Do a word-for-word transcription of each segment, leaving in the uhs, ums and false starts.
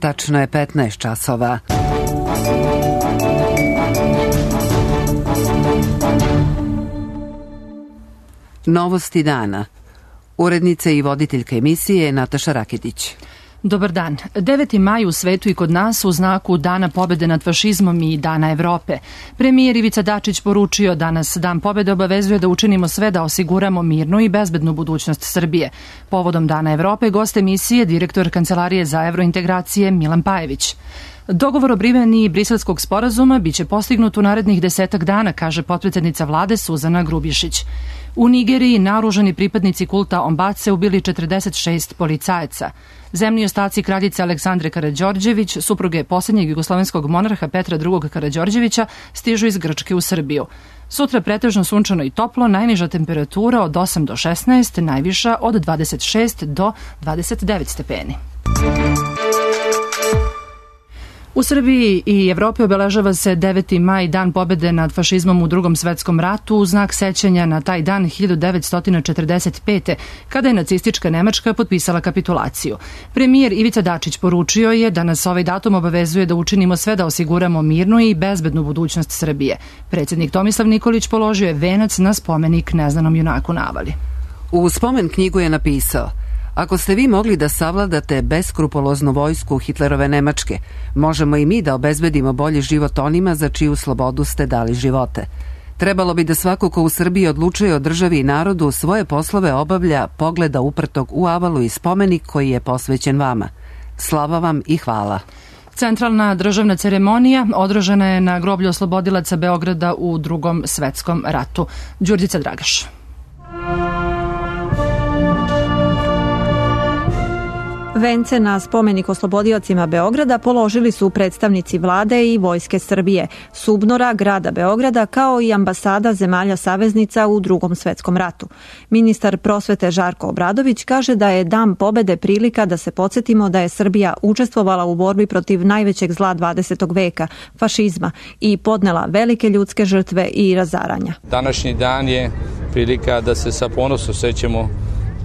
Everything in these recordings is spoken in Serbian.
Tačno je petnaest časova. Novosti dana. Urednica i voditeljka emisije Nataša Raketić. Dobar dan. deveti maj u svetu i kod nas u znaku Dana pobede nad fašizmom i Dana Evrope. Premijer Ivica Dačić poručio da nas Dan pobede obavezuje da učinimo sve da osiguramo mirnu i bezbednu budućnost Srbije. Povodom Dana Evrope gost emisije direktor Kancelarije za evrointegracije Milan Pajević. Dogovor o primjeni Briselskog sporazuma biće postignut u narednih desetak dana, kaže potpredsednica vlade Suzana Grubješić. U Nigeriji naoružani pripadnici kulta Ombace ubili četrdeset šest policajaca. Zemlji ostaci kraljice Aleksandre Karađorđević, supruge posljednjeg jugoslovenskog monarha Petra drugog Karađorđevića, stižu iz Grčke u Srbiju. Sutra pretežno sunčano i toplo, najniža temperatura od osam do šesnaest, najviša od dvadeset šest do dvadeset devet stepeni. U Srbiji i Evropi obeležava se deveti maj, Dan pobede nad fašizmom u Drugom svetskom ratu, u znak sećanja na taj dan hiljadu devetsto četrdeset pete. kada je nacistička Nemačka potpisala kapitulaciju. Premijer Ivica Dačić poručio je da nas ovaj datum obavezuje da učinimo sve da osiguramo mirnu i bezbednu budućnost Srbije. Predsjednik Tomislav Nikolić položio je venac na spomenik neznanom junaku na Avali. U spomen knjigu je napisao: ako ste vi mogli da savladate beskrupuloznu vojsku Hitlerove Nemačke, možemo i mi da obezbedimo bolji život onima za čiju slobodu ste dali živote. Trebalo bi da svako ko u Srbiji odlučuje o državi i narodu svoje poslove obavlja pogleda uprtog u Avalu i spomenik koji je posvećen vama. Slava vam i hvala. Centralna državna ceremonija održana je na groblju oslobodilaca Beograda u Drugom svetskom ratu. Đurđica Dragaš. Vence na spomenik oslobodiocima Beograda položili su predstavnici vlade i Vojske Srbije, SUBNOR-a, grada Beograda, kao i ambasada zemalja saveznica u Drugom svetskom ratu. Ministar prosvete Žarko Obradović kaže da je Dan pobede prilika da se podsjetimo da je Srbija učestvovala u borbi protiv najvećeg zla dvadesetog veka, fašizma, i podnela velike ljudske žrtve i razaranja. Današnji dan je prilika da se sa ponosom sećamo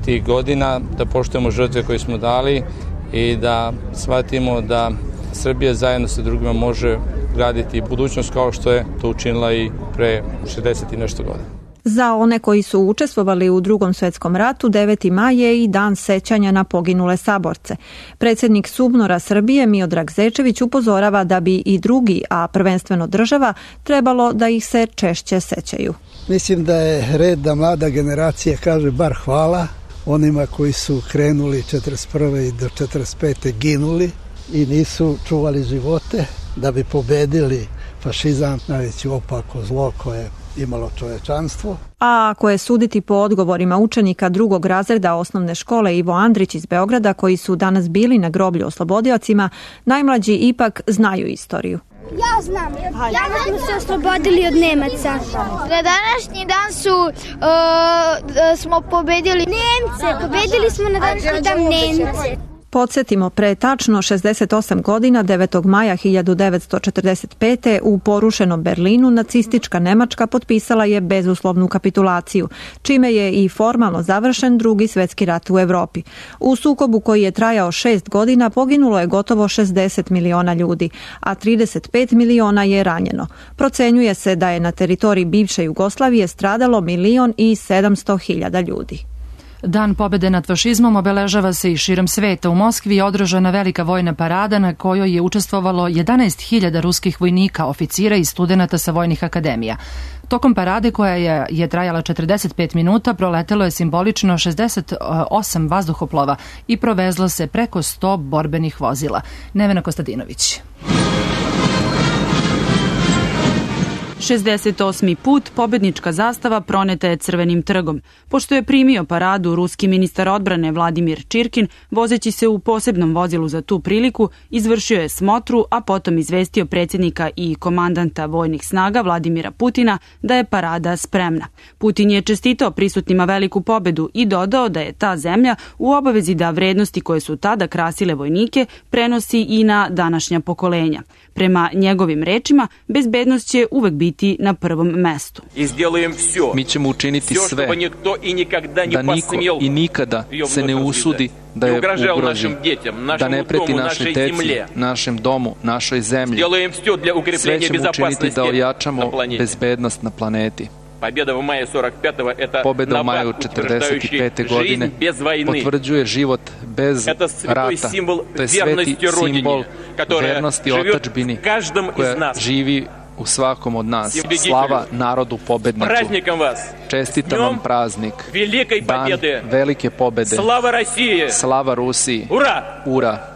tih godina, da poštujemo žrtve koje smo dali i da shvatimo da Srbija zajedno sa drugima može graditi budućnost kao što je to učinila i pre šezdeset i nešto godina. Za one koji su učestvovali u Drugom svetskom ratu, deveti maj je i dan sećanja na poginule saborce. Predsjednik SUBNOR-a Srbije Miodrag Zečević upozorava da bi i drugi, a prvenstveno država, trebalo da ih se češće sećaju. Mislim da je red da mlada generacija kaže bar hvala onima koji su krenuli četrdeset prve i do četrdeset pete ginuli i nisu čuvali živote da bi pobedili fašizam, najveće opako zlo koje imalo čovečanstvo. A ako je suditi po odgovorima učenika drugog razreda osnovne škole Ivo Andrić iz Beograda, koji su danas bili na groblju oslobodiocima, najmlađi ipak znaju istoriju. Ja znam, ja znam smo se oslobodili od Nemaca. Na današnji dan su, uh, smo pobedili Nemce, pobedili smo na današnji dan Nemce. Podsjetimo, pre tačno šezdeset osam godina, devetog maja hiljadu devetsto četrdeset pete. u porušenom Berlinu nacistička Nemačka potpisala je bezuslovnu kapitulaciju, čime je i formalno završen Drugi svjetski rat u Evropi. U sukobu koji je trajao šest godina poginulo je gotovo šezdeset miliona ljudi, a trideset pet miliona je ranjeno. Procenjuje se da je na teritoriji bivše Jugoslavije stradalo milion i sedamsto hiljada ljudi. Dan pobede nad fašizmom obeležava se i širom sveta. U Moskvi je održana velika vojna parada na kojoj je učestvovalo jedanaest hiljada ruskih vojnika, oficira i studenata sa vojnih akademija. Tokom parade, koja je, je trajala četrdeset pet minuta, proletelo je simbolično šezdeset osam vazduhoplova i provezlo se preko sto borbenih vozila. Nevena Kostadinović. šezdeset osmi put pobednička zastava proneta je Crvenim trgom. Pošto je primio paradu ruski ministar odbrane Vladimir Čirkin, vozeći se u posebnom vozilu za tu priliku, izvršio je smotru, a potom izvestio predsjednika i komandanta vojnih snaga Vladimira Putina da je parada spremna. Putin je čestitao prisutnima veliku pobedu i dodao da je ta zemlja u obavezi da vrednosti koje su tada krasile vojnike prenosi i na današnja pokolenja. Prema njegovim rečima, bezbednost će uvek biti biti na prvom mestu. Mi ćemo učiniti sve da niko i nikada se ne usudi da je ugrozi, da ne preti našoj deci, našem domu, našoj zemlji. Sve ćemo učiniti da ojačamo bezbednost na planeti. Pobjeda u maju četrdeset pete. godine potvrđuje život bez rata. To je sveti simbol vernosti otadžbini koja živi u svakom od nas. Slava narodu pobedniku. Čestitam vam praznik. Dan velike pobede. Slava Rusiji. Ura!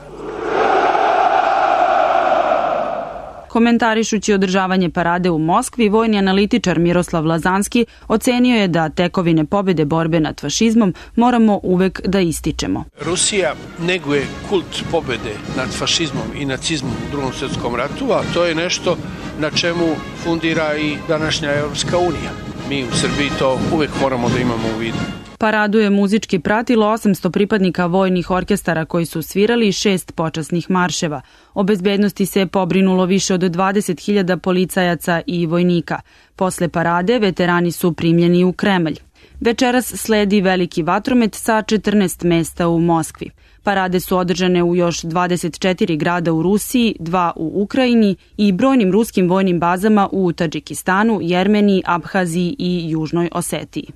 Komentarišući održavanje parade u Moskvi, vojni analitičar Miroslav Lazanski ocenio je da tekovine pobjede borbe nad fašizmom moramo uvek da ističemo. Rusija neguje kult pobjede nad fašizmom i nacizmom u Drugom svjetskom ratu, a to je nešto na čemu fundira i današnja Evropska unija. Mi u Srbiji to uvek moramo da imamo u vidu. Paradu je muzički pratilo osamsto pripadnika vojnih orkestara koji su svirali šest počasnih marševa. O bezbednosti se pobrinulo više od dvadeset hiljada policajaca i vojnika. Posle parade veterani su primljeni u Kremelj. Večeras sledi veliki vatromet sa četrnaest mesta u Moskvi. Parade su održane u još dvadeset četiri grada u Rusiji, dva u Ukrajini i brojnim ruskim vojnim bazama u Tadžikistanu, Jermeniji, Abhaziji i Južnoj Osetiji.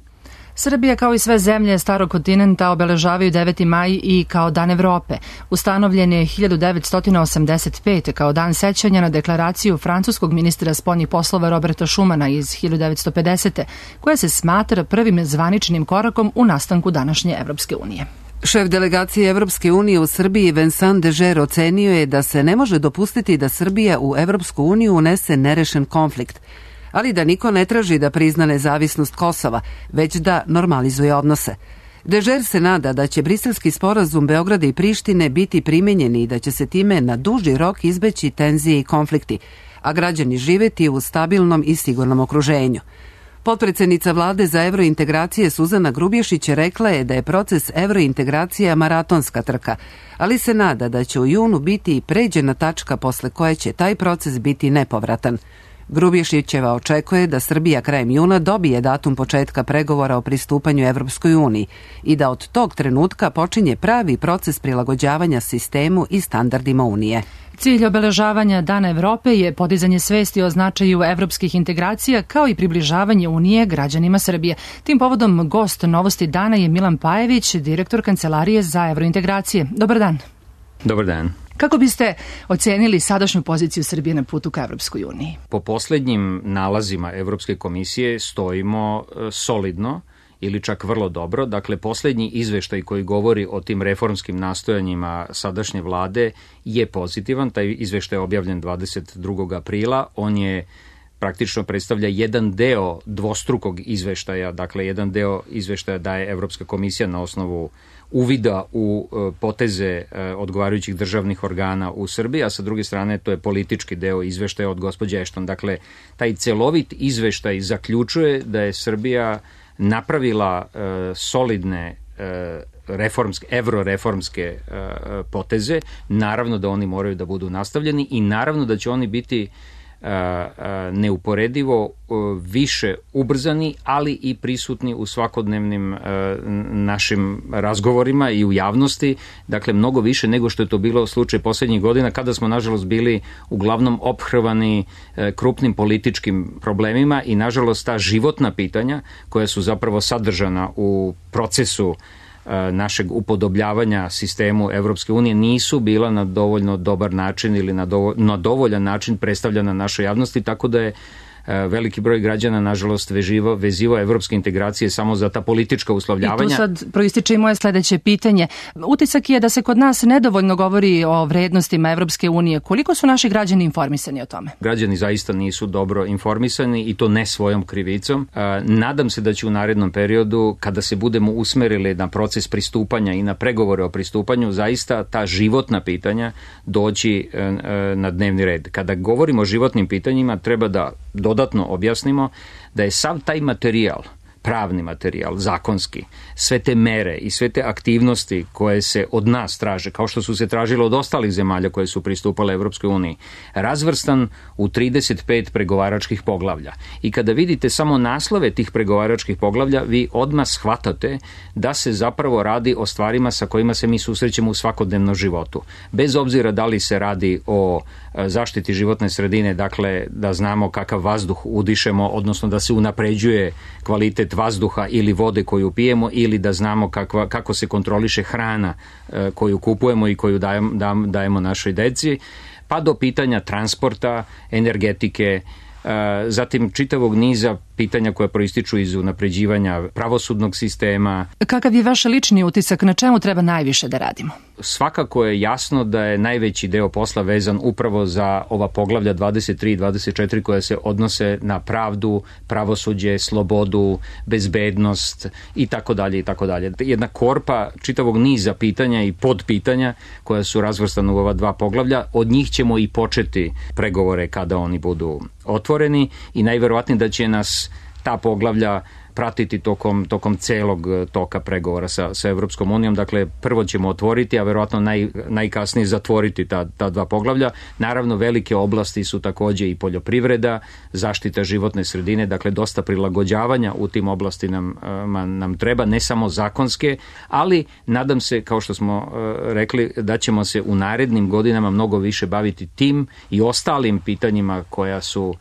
Srbija kao i sve zemlje starog kontinenta obeležavaju deveti maj i kao Dan Evrope. Ustanovljen je hiljadu devetsto osamdeset pete. kao dan sećanja na deklaraciju francuskog ministra spoljnih poslova Roberta Schumana iz hiljadu devetsto pedesete. koja se smatra prvim zvaničnim korakom u nastanku današnje Evropske unije. Šef delegacije Evropske unije u Srbiji Vincent Dežer ocenio je da se ne može dopustiti da Srbija u Evropsku uniju unese nerešen konflikt, ali da niko ne traži da prizna nezavisnost Kosova, već da normalizuje odnose. Dežer se nada da će briselski sporazum Beograda i Prištine biti primenjeni i da će se time na duži rok izbeći tenzije i konflikti, a građani živeti u stabilnom i sigurnom okruženju. Potpredsednica vlade za evrointegracije Suzana Grubješić rekla je da je proces evrointegracija maratonska trka, ali se nada da će u junu biti i pređena tačka posle koje će taj proces biti nepovratan. Grubješićeva očekuje da Srbija krajem juna dobije datum početka pregovora o pristupanju Evropskoj uniji i da od tog trenutka počinje pravi proces prilagođavanja sistemu i standardima Unije. Cilj obeležavanja Dana Evrope je podizanje svesti o značaju evropskih integracija kao i približavanje Unije građanima Srbije. Tim povodom gost Novosti dana je Milan Pajević, direktor Kancelarije za evrointegracije. Dobar dan. Dobar dan. Kako biste ocenili sadašnju poziciju Srbije na putu ka Evropskoj uniji? Po poslednjim nalazima Evropske komisije stojimo solidno ili čak vrlo dobro. Dakle, poslednji izveštaj koji govori o tim reformskim nastojanjima sadašnje vlade je pozitivan. Taj izveštaj je objavljen dvadeset drugog aprila. On je praktično predstavlja jedan deo dvostrukog izveštaja. Dakle, jedan deo izveštaja daje Evropska komisija na osnovu uvida u poteze odgovarajućih državnih organa u Srbiji, a sa druge strane to je politički deo izveštaja od gospođe Ešton. Dakle, taj celovit izveštaj zaključuje da je Srbija napravila uh, solidne uh, reformske, evroreformske uh, poteze. Naravno da oni moraju da budu nastavljeni i naravno da će oni biti uh, uh, neuporedivo uh, više ubrzani, ali i prisutni u svakodnevnim uh, našim razgovorima i u javnosti. Dakle, mnogo više nego što je to bilo slučaj poslednjih godina, kada smo, nažalost, bili uglavnom ophrvani uh, krupnim političkim problemima i, nažalost, ta životna pitanja koja su zapravo sadržana u procesu našeg upodobljavanja sistemu Evropske unije nisu bila na dovoljno dobar način ili na, dovo, na dovoljan način predstavljena našoj javnosti, tako da je veliki broj građana, nažalost, veživo, vezivo evropske integracije samo za ta politička uslovljavanja. I tu sad proističe i moje sledeće pitanje. Utisak je da se kod nas nedovoljno govori o vrednostima Evropske unije. Koliko su naši građani informisani o tome? Građani zaista nisu dobro informisani i to ne svojom krivicom. Nadam se da će u narednom periodu, kada se budemo usmerili na proces pristupanja i na pregovore o pristupanju, zaista ta životna pitanja doći na dnevni red. Kada govorimo o životnim pitanjima, treba da dodatno objasnimo da je sav taj materijal pravni materijal, zakonski, sve te mere i sve te aktivnosti koje se od nas traže, kao što su se tražile od ostalih zemalja koje su pristupale Evropskoj uniji, razvrstan u trideset pet pregovaračkih poglavlja. I kada vidite samo naslove tih pregovaračkih poglavlja, vi odmah shvatate da se zapravo radi o stvarima sa kojima se mi susrećemo u svakodnevnom životu. Bez obzira da li se radi o zaštiti životne sredine, dakle da znamo kakav vazduh udišemo, odnosno da se unapređuje kvalitet vazduha ili vode koju pijemo, ili da znamo kakva, kako se kontroliše hrana koju kupujemo i koju dajemo, dajemo našoj deci, pa do pitanja transporta, energetike, zatim čitavog niza pitanja koja proističu iz unapređivanja pravosudnog sistema. Kakav je vaš lični utisak, na čemu treba najviše da radimo? Svakako je jasno da je najveći deo posla vezan upravo za ova poglavlja dvadeset tri i dvadeset četiri koja se odnose na pravdu, pravosuđe, slobodu, bezbednost i tako dalje i tako dalje. Jedna korpa čitavog niza pitanja i podpitanja koja su razvrstana u ova dva poglavlja, od njih ćemo i početi pregovore kada oni budu otvoreni i najverovatnije da će nas ta poglavlja pratiti tokom, tokom celog toka pregovora sa, sa Evropskom unijom. Dakle, prvo ćemo otvoriti, a verovatno naj, najkasnije zatvoriti ta, ta dva poglavlja. Naravno, velike oblasti su takođe i poljoprivreda, zaštita životne sredine, dakle, dosta prilagođavanja u tim oblasti nam, nam treba, ne samo zakonske, ali nadam se, kao što smo rekli, da ćemo se u narednim godinama mnogo više baviti tim i ostalim pitanjima koja su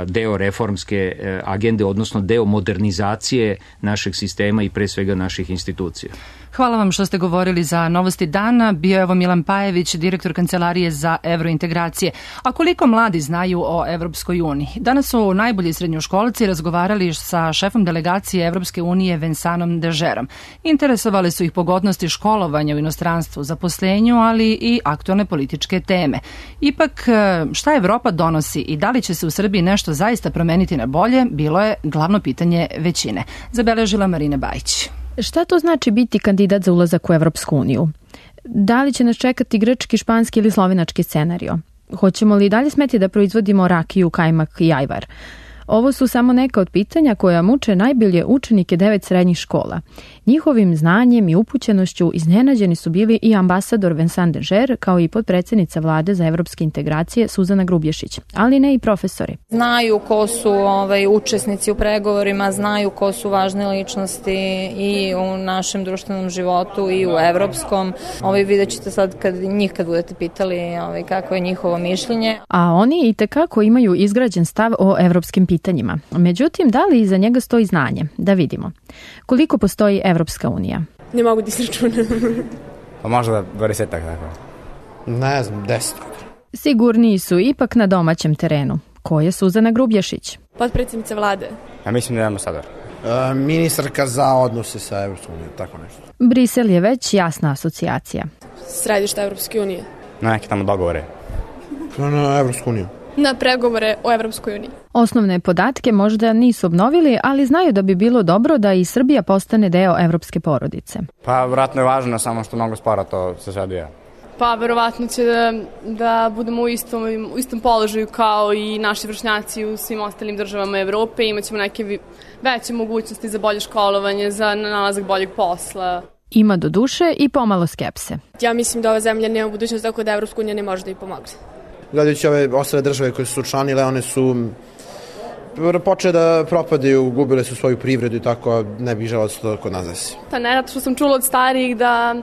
deo reformske agende, odnosno deo modernizacije našeg sistema i pre svega naših institucija. Hvala vam što ste govorili za Novosti dana. Bio je ovo Milan Pajević, direktor Kancelarije za evrointegracije. A koliko mladi znaju o Evropskoj uniji? Danas su najbolji srednjoškolci razgovarali sa šefom delegacije Evropske unije Vensanom Dežerom. Interesovali su ih pogodnosti školovanja u inostranstvu, zaposlenju, ali i aktualne političke teme. Ipak, šta Evropa donosi i da li će se u Srbiji nešto zaista promeniti na bolje, bilo je glavno pitanje većine. Zabeležila Marina Bajić. Šta to znači biti kandidat za ulazak u Evropsku uniju? Da li će nas čekati grčki, španski ili slovenački scenario? Hoćemo li dalje smeti da proizvodimo rakiju, kajmak i ajvar? Ovo su samo neka od pitanja koja muče najbolje učenike devet srednjih škola. Njihovim znanjem i upućenošću iznenađeni su bili i ambasador Vincent Dežer, kao i potpredsednica vlade za evropske integracije Suzana Grubješić, ali ne i profesori. Znaju ko su ovaj, učesnici u pregovorima, znaju ko su važne ličnosti i u našem društvenom životu i u evropskom. Ovaj, vidjet ćete sad kad njih kad budete pitali ovaj, kako je njihovo mišljenje. A oni i tekako imaju izgrađen stav o evropskim pitanjima. pitanjima. Međutim, da li iza njega stoji znanje? Da vidimo. Koliko postoji Evropska unija? Ne mogu da izračunam. Pa možda dvadesetak tako. Ne znam, deset. Sigurniji su ipak na domaćem terenu. Ko je Suzana Grubješić? Potpredsjednica vlade. Ja mislim da je ambasador. E, ministarka za odnose sa Evropskom unijom, tako nešto. Brisel je već jasna asocijacija. Središte Evropske unije. Na neke tamo dogovore. Na Evropsku uniju. Na pregovore o Evropskoj uniji. Osnovne podatke možda nisu obnovili, ali znaju da bi bilo dobro da i Srbija postane deo evropske porodice. Pa vratno je važno, samo što mnogo spora to se sve odvija. Pa verovatno će da, da budemo u istom, u istom položaju kao i naši vršnjaci u svim ostalim državama Evrope. Imaćemo neke veće mogućnosti za bolje školovanje, za nalazak boljeg posla. Ima do duše i pomalo skepse. Ja mislim da ova zemlja nema budućnost, tako da Evropska unija ne može da ih pomogne. Gledajući ove ostale države koje su učlanile, one su počele da propadaju, gubile su svoju privredu i tako, ne bih želeo da se to kod nas desi. Pa ne, zato što sam čula od starijih da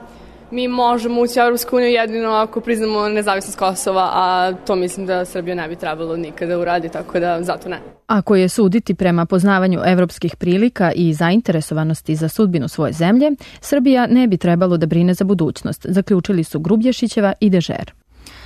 mi možemo ući u Evropsku uniju jedino ako priznamo nezavisnost Kosova, a to mislim da Srbija ne bi trebalo nikada uradi, tako da zato ne. Ako je suditi prema poznavanju evropskih prilika i zainteresovanosti za sudbinu svoje zemlje, Srbija ne bi trebalo da brine za budućnost, zaključili su Grubješićeva i Dežer.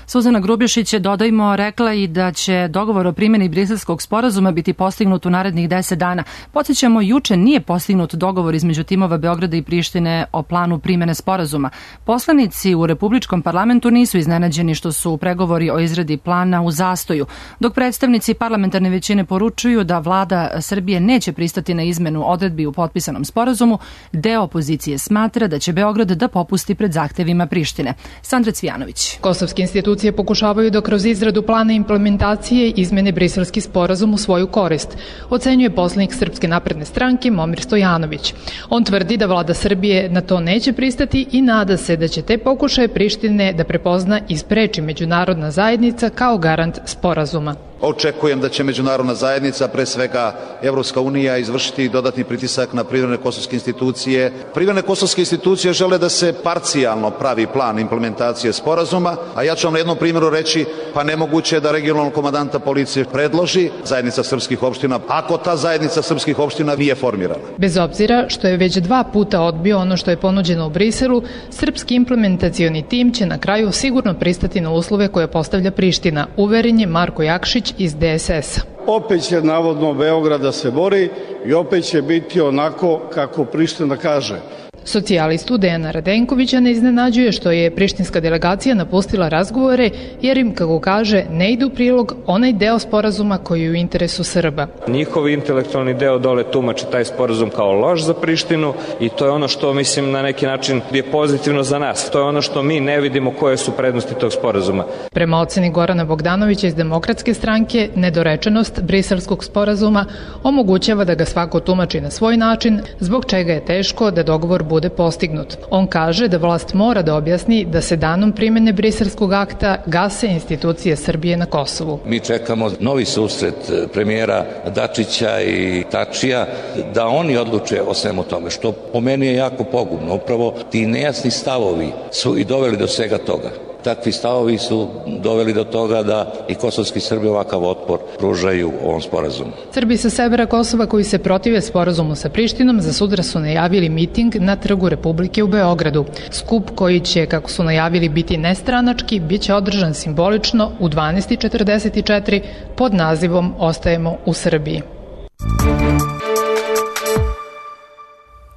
Suzana Grubješić je, dodajmo, rekla i da će dogovor o primjeni Briselskog sporazuma biti postignut u narednih deset dana. Podsjećamo, juče nije postignut dogovor između timova Beograda i Prištine o planu primjene sporazuma. Poslanici u Republičkom parlamentu nisu iznenađeni što su pregovori o izradi plana u zastoju, dok predstavnici parlamentarne većine poručuju da vlada Srbije neće pristati na izmenu odredbi u potpisanom sporazumu. Deo opozicije smatra da će Beograd da popusti pred zahtevima Prištine. Sandra Cvijanović. Kosovski institut institucije pokušavaju da kroz izradu plana implementacije izmene Briselski sporazum u svoju korist, ocenjuje poslanik Srpske napredne stranke Momir Stojanović. On tvrdi da vlada Srbije na to neće pristati i nada se da će te pokušaje Prištine da prepozna i spreči međunarodna zajednica kao garant sporazuma. Očekujem da će međunarodna zajednica, pre svega Evropska unija, izvršiti dodatni pritisak na privremene kosovske institucije. Privremene kosovske institucije žele da se parcijalno pravi plan implementacije sporazuma, a ja ću vam na jednom primjeru reći, pa nemoguće je da regionalnog komandanta policije predloži zajednica srpskih opština, ako ta zajednica srpskih opština nije formirana. Bez obzira što je već dva puta odbio ono što je ponuđeno u Briselu, srpski implementacioni tim će na kraju sigurno pristati na uslove koje postavlja Priština, uveren je Marko Jakšić iz D S S-a. Opet će navodno Beograd da se bori i opet će biti onako kako Priština kaže. Socijalistu Dejana Radenkovića ne iznenađuje što je prištinska delegacija napustila razgovore jer im, kako kaže, ne ide u prilog onaj deo sporazuma koji je u interesu Srba. Njihov intelektualni deo dole tumači taj sporazum kao loš za Prištinu i to je ono što, mislim, na neki način je pozitivno za nas. To je ono što mi ne vidimo koje su prednosti tog sporazuma. Prema oceni Gorana Bogdanovića iz Demokratske stranke, nedorečenost briselskog sporazuma omogućava da ga svako tumači na svoj način, zbog čega je teško da dogovor bude postignut. On kaže da vlast mora da objasni da se danom primene briselskog akta gase institucije Srbije na Kosovu. Mi čekamo novi susret premijera Dačića i Tačija da oni odluče o svemu tome, što po meni je jako pogubno. Upravo ti nejasni stavovi su i doveli do svega toga. Takvi stavovi su doveli do toga da i kosovski Srbi ovakav otpor pružaju ovom sporazumu. Srbi sa severa Kosova koji se protive sporazumu sa Prištinom za sutra su najavili miting na Trgu Republike u Beogradu. Skup koji će, kako su najavili, biti nestranački, bit će održan simbolično u dvanaest četrdeset četiri pod nazivom Ostajemo u Srbiji.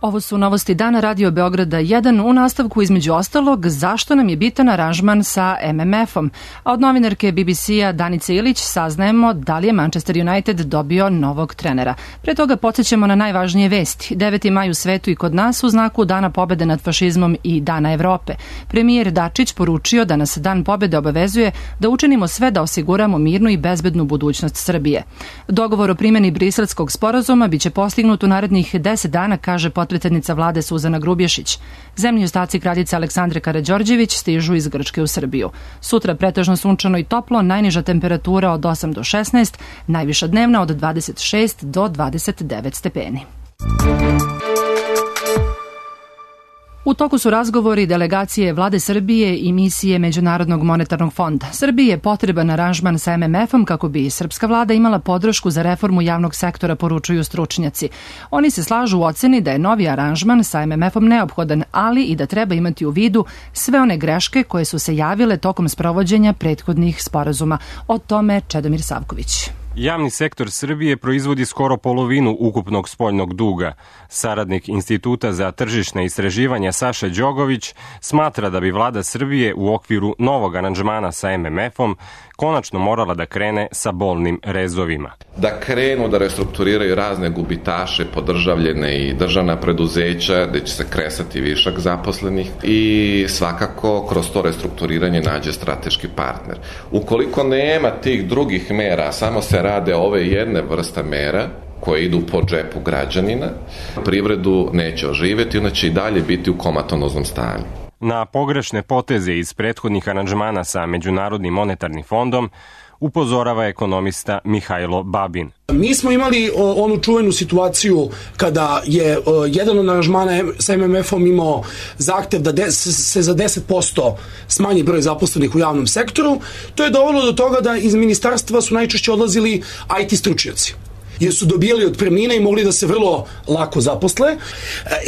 Ovo su novosti dana Radio Beograda jedan, u nastavku između ostalog zašto nam je bitan aranžman sa M M F-om. A od novinarke B B C-a Danice Ilić saznajemo da li je Manchester United dobio novog trenera. Pre toga podsjećamo na najvažnije vesti. deveti maj u svetu i kod nas u znaku Dana pobede nad fašizmom i Dana Evrope. Premijer Dačić poručio da nas Dan pobede obavezuje da učinimo sve da osiguramo mirnu i bezbednu budućnost Srbije. Dogovor o primjeni briselskog sporazuma biće postignut u narednih deset dana, kaže potpredsednica vlade Suzana Grubješić. Zemlji ostaci kraljice Aleksandre Karađorđević stižu iz Grčke u Srbiju. Sutra pretežno sunčano i toplo, najniža temperatura od osam do šesnaest, najviša dnevna od dvadeset šest do dvadeset devet stepeni. U toku su razgovori delegacije vlade Srbije i misije Međunarodnog monetarnog fonda. Srbiji je potreban aranžman sa M M F-om kako bi srpska vlada imala podršku za reformu javnog sektora, poručuju stručnjaci. Oni se slažu u oceni da je novi aranžman sa M M F-om neophodan, ali i da treba imati u vidu sve one greške koje su se javile tokom sprovođenja prethodnih sporazuma. O tome Čedomir Savković. Javni sektor Srbije proizvodi skoro polovinu ukupnog spoljnog duga. Saradnik Instituta za tržišne istraživanja Saša Đogović smatra da bi vlada Srbije u okviru novog aranžmana sa M M F-om konačno morala da krene sa bolnim rezovima. Da krenu da restrukturiraju razne gubitaše, podržavljene i državna preduzeća, gde će se kresati višak zaposlenih i svakako kroz to restrukturiranje nađe strateški partner. Ukoliko nema tih drugih mera, samo se rade ove jedne vrste mera koje idu po džepu građanina, privredu neće oživjeti, ona će i dalje biti u komatonoznom stanju. Na pogrešne poteze iz prethodnih aranžmana sa Međunarodnim monetarnim fondom upozorava ekonomista Mihajlo Babin. Mi smo imali o, onu čuvenu situaciju kada je o, jedan od aranžmana sa M M F-om imao zahtev da de, se za deset posto smanji broj zaposlenih u javnom sektoru. To je dovelo do toga da iz ministarstva su najčešće odlazili I T stručnjaci, jer su dobijali otpremnine i mogli da se vrlo lako zaposle.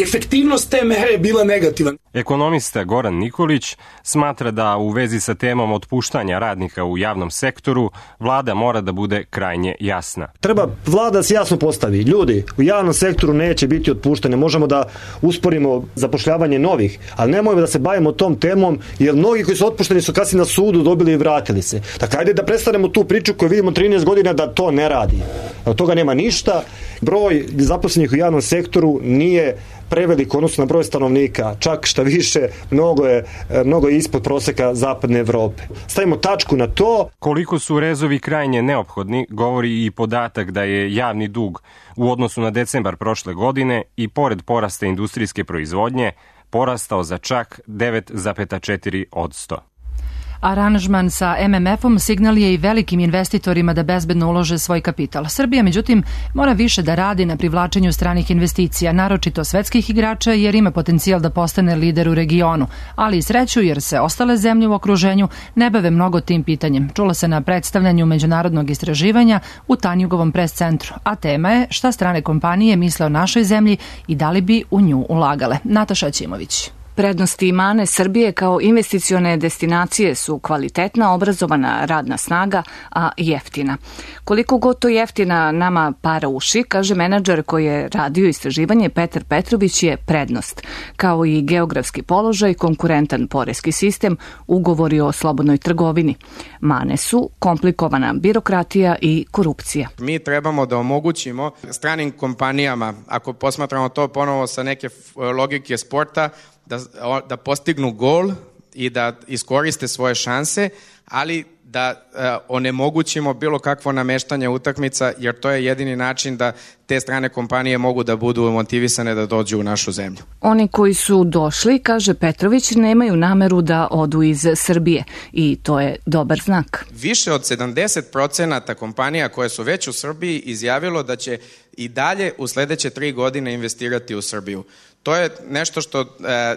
Efektivnost te mere je bila negativna. Ekonomista Goran Nikolić smatra da u vezi sa temom otpuštanja radnika u javnom sektoru vlada mora da bude krajnje jasna. Treba vlada se jasno postavi. Ljudi, u javnom sektoru neće biti otpuštane. Možemo da usporimo zapošljavanje novih, ali nemojmo da se bavimo tom temom, jer mnogi koji su otpušteni su kasnije na sudu dobili i vratili se. Dakle, ajde da prestanemo tu priču koju vidimo trinaest godina da to ne radi. Od toga nema ništa. Broj zaposlenih u javnom sektoru nije prevelik odnosno na broj stanovnika, čak šta više, mnogo je, mnogo je ispod proseka zapadne Evrope. Stavimo tačku na to. Koliko su rezovi krajnje neophodni, govori i podatak da je javni dug u odnosu na decembar prošle godine i pored porasta industrijske proizvodnje porastao za čak devet zarez četiri posto. Aranžman sa em em efom signal je i velikim investitorima da bezbedno ulože svoj kapital. Srbija, međutim, mora više da radi na privlačenju stranih investicija, naročito svetskih igrača, jer ima potencijal da postane lider u regionu, ali i sreću jer se ostale zemlje u okruženju ne bave mnogo tim pitanjem. Čula se na predstavljanju međunarodnog istraživanja u Tanjugovom pres centru, a tema je šta strane kompanije misle o našoj zemlji i da li bi u nju ulagale. Nataša Ćimović. Prednosti i mane Srbije kao investicione destinacije su kvalitetna, obrazovana radna snaga, a jeftina. Koliko god to jeftina nama para uši, kaže menadžer koji je radio istraživanje Petar Petrović, je prednost, kao i geografski položaj, konkurentan poreski sistem, ugovori o slobodnoj trgovini. Mane su komplikovana birokratija i korupcija. Mi trebamo da omogućimo stranim kompanijama, ako posmatramo to ponovo sa neke logike sporta, Da, da postignu gol i da iskoriste svoje šanse, ali da uh, onemogućimo bilo kakvo nameštanje utakmica, jer to je jedini način da te strane kompanije mogu da budu motivisane da dođu u našu zemlju. Oni koji su došli, kaže Petrović, nemaju nameru da odu iz Srbije i to je dobar znak. Više od sedamdeset procenata kompanija koje su već u Srbiji izjavilo da će i dalje u sledeće tri godine investirati u Srbiju. To je nešto što e,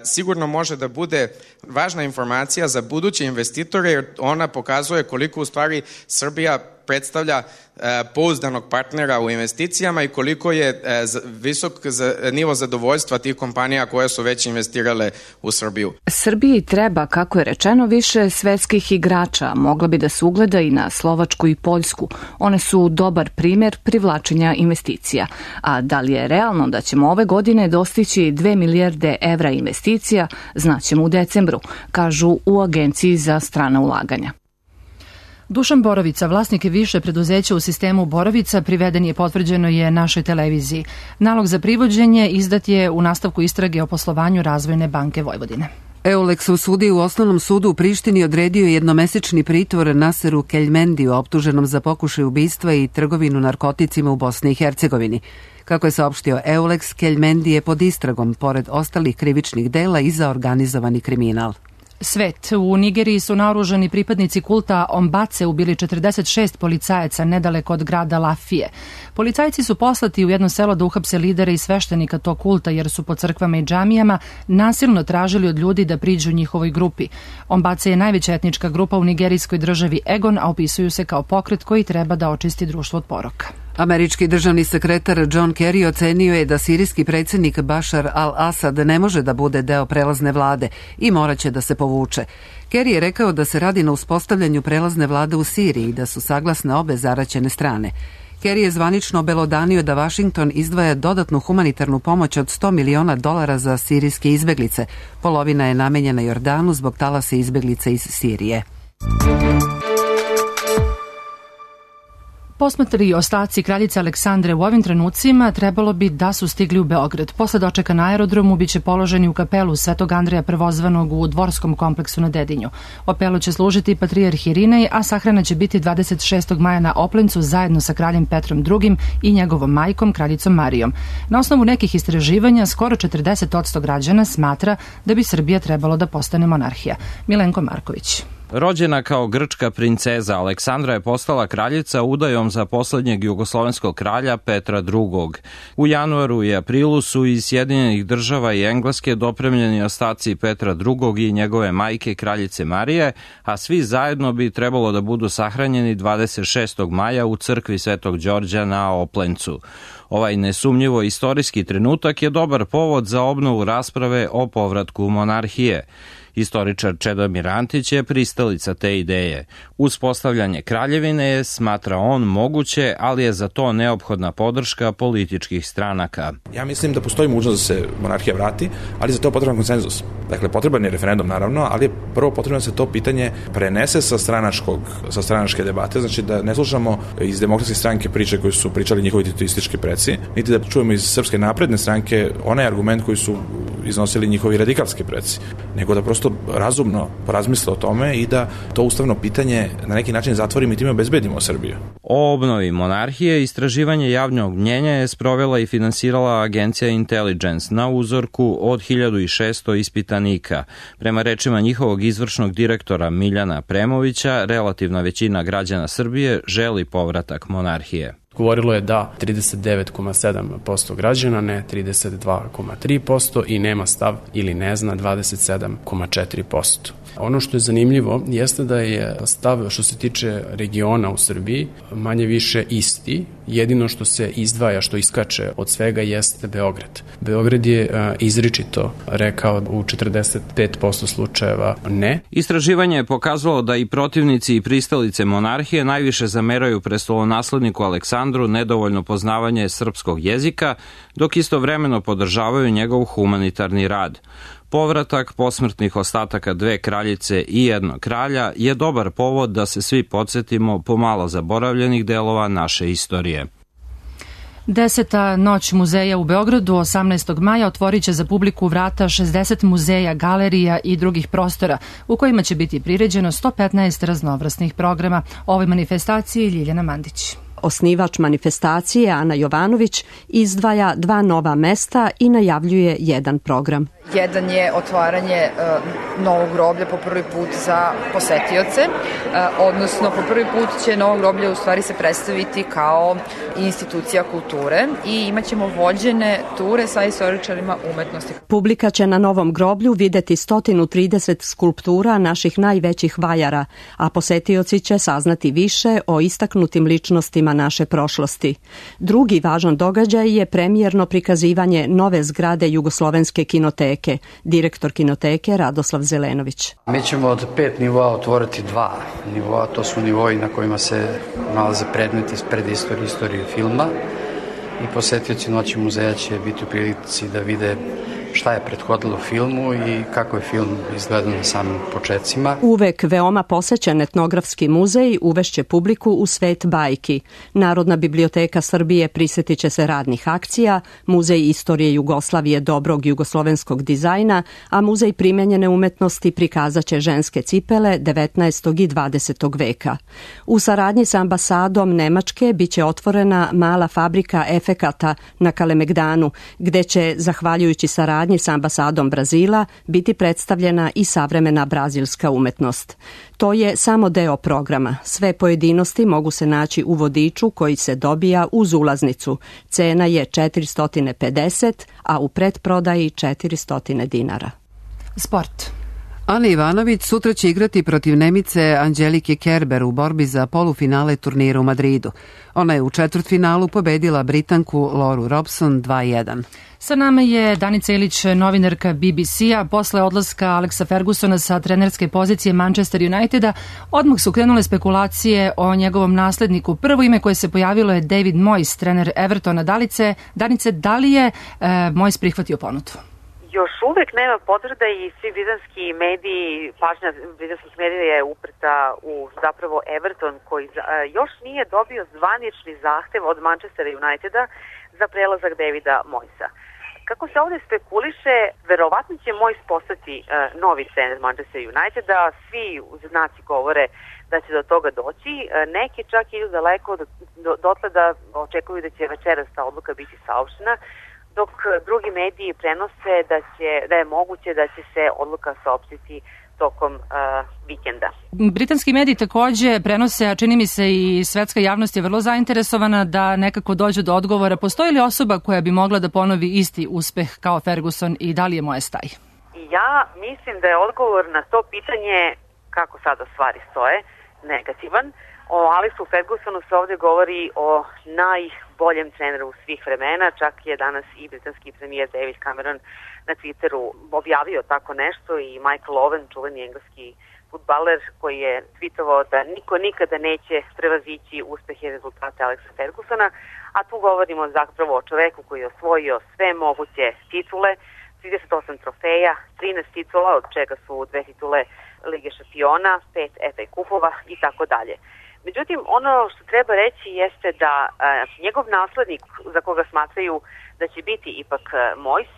sigurno može da bude važna informacija za buduće investitore, jer ona pokazuje koliko u stvari Srbija predstavlja e, pouzdanog partnera u investicijama i koliko je e, visok za, nivo zadovoljstva tih kompanija koje su već investirale u Srbiju. Srbiji treba, kako je rečeno, više svetskih igrača. Mogla bi da se ugleda i na Slovačku i Poljsku. One su dobar primjer privlačenja investicija. A da li je realno da ćemo ove godine dostići dve milijarde evra investicija, znaćemo u decembru, kažu u Agenciji za strana ulaganja. Dušan Borovica, vlasnik više preduzeća u sistemu Borovica, priveden je, potvrđeno je našoj televiziji. Nalog za privođenje izdat je u nastavku istrage o poslovanju Razvojne banke Vojvodine. Euleks u sudi u Osnovnom sudu u Prištini odredio jednomesečni pritvor Naseru Keljmendiju, optuženom za pokušaj ubistva i trgovinu narkoticima u Bosni i Hercegovini. Kako je saopštio Euleks, Keljmendi je pod istragom, pored ostalih krivičnih dela, i za organizovani kriminal. Svet. U Nigeriji su naoružani pripadnici kulta Ombace ubili četrdeset šest policajaca nedaleko od grada Lafije. Policajci su poslati u jedno selo da uhapse lidera i sveštenika tog kulta, jer su po crkvama i džamijama nasilno tražili od ljudi da priđu njihovoj grupi. Ombace je najveća etnička grupa u nigerijskoj državi Egon, a opisuju se kao pokret koji treba da očisti društvo od poroka. Američki državni sekretar John Kerry ocenio je da sirijski predsjednik Bashar al-Assad ne može da bude deo prelazne vlade i moraće da se povuče. Kerry je rekao da se radi na uspostavljanju prelazne vlade u Siriji i da su saglasne obe zaraćene strane. Kerry je zvanično obelodanio da Washington izdvaja dodatnu humanitarnu pomoć od sto miliona dolara za sirijske izbeglice. Polovina je namenjena Jordanu zbog talasa izbeglica iz Sirije. Posmatri ostaci kraljice Aleksandre u ovim trenucima trebalo bi da su stigli u Beograd. Posle dočeka na aerodromu biće položeni u kapelu Svetog Andreja Prvozvanog u Dvorskom kompleksu na Dedinju. Opelu će služiti patrijarh Irinej, a sahrana će biti dvadeset šestog maja na Oplencu zajedno sa kraljem Petrom drugim i njegovom majkom, kraljicom Marijom. Na osnovu nekih istraživanja, skoro četrdeset posto građana smatra da bi Srbija trebalo da postane monarhija. Milenko Marković. Rođena kao grčka princeza, Aleksandra je postala kraljica udajom za poslednjeg jugoslovenskog kralja Petra drugog. U januaru i aprilu su iz Sjedinjenih država i Engleske dopremljeni ostaci Petra drugog i njegove majke kraljice Marije, a svi zajedno bi trebalo da budu sahranjeni dvadeset šestog maja u crkvi Svetog Đorđa na Oplencu. Ovaj nesumnjivo istorijski trenutak je dobar povod za obnovu rasprave o povratku monarhije. Historičar Čedomir Antić je pristalica te ideje. Uspostavljanje kraljevine je, smatra on, moguće, ali je za to neophodna podrška političkih stranaka. Ja mislim da postoji mogućnost da se monarhija vrati, ali za to je potreban konsenzus. Dakle, potreban je referendum, naravno, ali je prvo potrebno da se to pitanje prenese sa stranačkog, sa stranačke debate, znači da ne slušamo iz demokratske stranke priče koje su pričali njihovi tituistički preci, niti da čujemo iz Srpske napredne stranke onaj argument koji su iznosili njihovi radikalski preci, nego da prosto razumno porazmisle o tome i da to ustavno pitanje na neki način zatvorimo i time obezbedimo Srbiju. O obnovi monarhije istraživanje javnog mnjenja je sprovela i finansirala agencija Intelligence na uzorku od hiljadu šessto ispitanika. Prema rečima njihovog izvršnog direktora Miljana Premovića, relativna većina građana Srbije želi povratak monarhije. Govorilo je da trideset devet zarez sedam posto građana, ne trideset dva zarez tri posto i nema stav ili ne zna dvadeset sedam zarez četiri posto. Ono što je zanimljivo jeste da je stav što se tiče regiona u Srbiji manje više isti, jedino što se izdvaja, što iskače od svega jeste Beograd. Beograd je izričito rekao u četrdeset pet posto slučajeva ne. Istraživanje je pokazalo da i protivnici i pristalice monarhije najviše zameraju prestolonasledniku Aleksandru nedovoljno poznavanje srpskog jezika, dok istovremeno podržavaju njegov humanitarni rad. Povratak posmrtnih ostataka dve kraljice i jednog kralja je dobar povod da se svi podsjetimo pomalo zaboravljenih delova naše istorije. Deseta noć muzeja u Beogradu osamnaestog maja otvorit će za publiku vrata šezdeset muzeja, galerija i drugih prostora u kojima će biti priređeno sto petnaest raznovrsnih programa. O ovoj manifestaciji Ljiljana Mandić. Osnivač manifestacije Ana Jovanović izdvaja dva nova mesta i najavljuje jedan program. Jedan je otvaranje uh, novog groblja po prvi put za posetioce, uh, odnosno po prvi put će novo groblje u stvari se predstaviti kao institucija kulture i imaćemo vođene ture sa istoričarima umetnosti. Publika će na novom groblju videti sto trideset skulptura naših najvećih vajara, a posetioci će saznati više o istaknutim ličnostima naše prošlosti. Drugi važan događaj je premijerno prikazivanje nove zgrade Jugoslovenske kinoteke. Direktor kinoteke Radoslav Zelenović. Mi ćemo od pet nivoa otvoriti dva nivoa, to su nivoji na kojima se nalaze predmeti iz predistorije, istorije filma i posetioci Noći muzeja će biti u prilici da vide šta je prethodilo filmu i kako je film izgledao na samim početcima. Uvek veoma posećen etnografski muzej uvešće publiku u svet bajki. Narodna biblioteka Srbije prisjetit će se radnih akcija, Muzej istorije Jugoslavije dobrog jugoslovenskog dizajna, a Muzej primenjene umetnosti prikazat će ženske cipele devetnaestog i dvadesetog veka. U saradnji sa ambasadom Nemačke biće otvorena mala fabrika efekata na Kalemegdanu, gde će, zahvaljujući saradnji sa ambasadom Brazila, biti predstavljena i savremena brazilska umetnost. To je samo deo programa. Sve pojedinosti mogu se naći u vodiču koji se dobija uz ulaznicu. Cena je četiristo pedeset, a u pretprodaji četiristo dinara. Sport. Ana Ivanović sutra će igrati protiv Nemice Anđelike Kerber u borbi za polufinale turnira u Madridu. Ona je u četvrtfinalu pobedila Britanku Loru Robson dva jedan. Sa nama je Danica Ilić, novinarka B B C-a. Posle odlaska Alexa Fergusona sa trenerske pozicije Manchester Uniteda, odmah su krenule spekulacije o njegovom nasledniku. Prvo ime koje se pojavilo je David Moyes, trener Evertona. Dalice, Danice, da li je e, Moyes prihvatio ponudu? Još uvek nema potvrda i svi britanski mediji, pažnja britanskih medija je uprta u zapravo Everton koji još nije dobio zvanični zahtev od Manchester Uniteda za prelazak Davida Moyesa. Kako se ovde spekuliše, verovatno će Moyes postati uh, novi trener Manchester Uniteda, svi znaci govore da će do toga doći, uh, neki čak idu daleko do, do, dotle da očekuju da će večeras ta odluka biti saopštena, dok drugi mediji prenose da, će, da je moguće da će se odluka saopštiti tokom uh, vikenda. Britanski mediji takođe prenose, a čini mi se i svetska javnost je vrlo zainteresovana da nekako dođe do odgovora. Postoji li osoba koja bi mogla da ponovi isti uspeh kao Ferguson i da li je Moyes taj? Ja mislim da je odgovor na to pitanje kako sada stvari stoje, negativan. O Alexu Fergusonu se ovde govori o najboljem treneru svih vremena, čak je danas i britanski premijer David Cameron na Twitteru objavio tako nešto i Michael Owen, čuveni engleski fudbaler, koji je tweetovao da niko nikada neće prevazići uspehe i rezultate Alexa Fergusona, a tu govorimo zapravo o čoveku koji je osvojio sve moguće titule, trideset osam trofeja, trinaest titula, od čega su dve titule Lige šampiona, pet F A kupova i tako dalje. Međutim, ono što treba reći jeste da a, njegov naslednik, za koga smatraju da će biti ipak a, Moyes,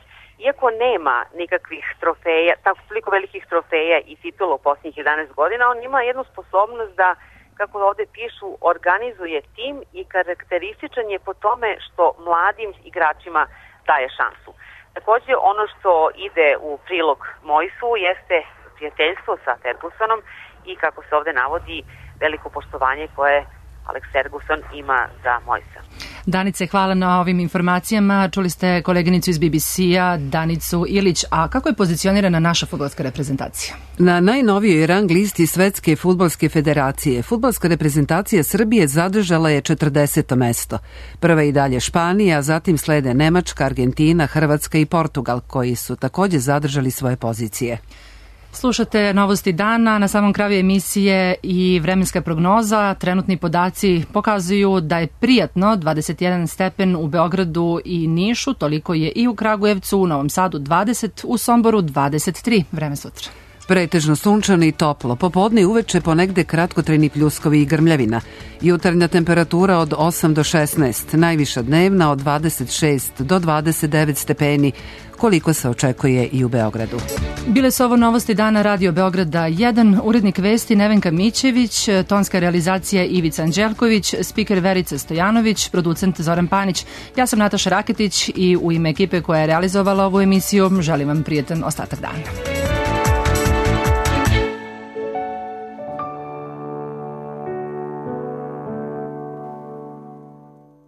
iako nema nikakvih trofeja, tako toliko velikih trofeja i titula u posljednjih jedanaest godina, on ima jednu sposobnost da, kako ovde pišu, organizuje tim i karakterističan je po tome što mladim igračima daje šansu. Takođe, ono što ide u prilog Moysu jeste prijateljstvo sa Fergusonom i, kako se ovde navodi, veliko poštovanje koje Alex Ferguson ima za Moysa. Danice, hvala na ovim informacijama. Čuli ste koleginicu iz B B C-a, Danicu Ilić. A kako je pozicionirana naša fudbalska reprezentacija? Na najnovijoj rang listi Svetske fudbalske federacije fudbalska reprezentacija Srbije zadržala je četrdeseto mesto. Prva i dalje Španija, zatim slede Nemačka, Argentina, Hrvatska i Portugal, koji su takođe zadržali svoje pozicije. Slušate Novosti dana, na samom kraju emisije i vremenska prognoza. Trenutni podaci pokazuju da je prijatno dvadeset jedan stepen u Beogradu i Nišu, toliko je i u Kragujevcu, u Novom Sadu dvadeset, u Somboru dvadeset tri. Vreme sutra. Pretežno sunčano i toplo, popodne i uveče ponegde kratkotrajni pljuskovi i grmljavina. Jutarnja temperatura od osam do šesnaest, najviša dnevna od dvadeset šest do dvadeset devet stepeni, koliko se očekuje i u Beogradu. Bile su ovo Novosti dana Radio Beograda jedan, urednik vesti Nevenka Mićević, tonska realizacija Ivica Anđelković, spiker Verica Stojanović, producent Zoran Panić. Ja sam Nataša Raketić i u ime ekipe koja je realizovala ovu emisiju želim vam prijetan ostatak dana.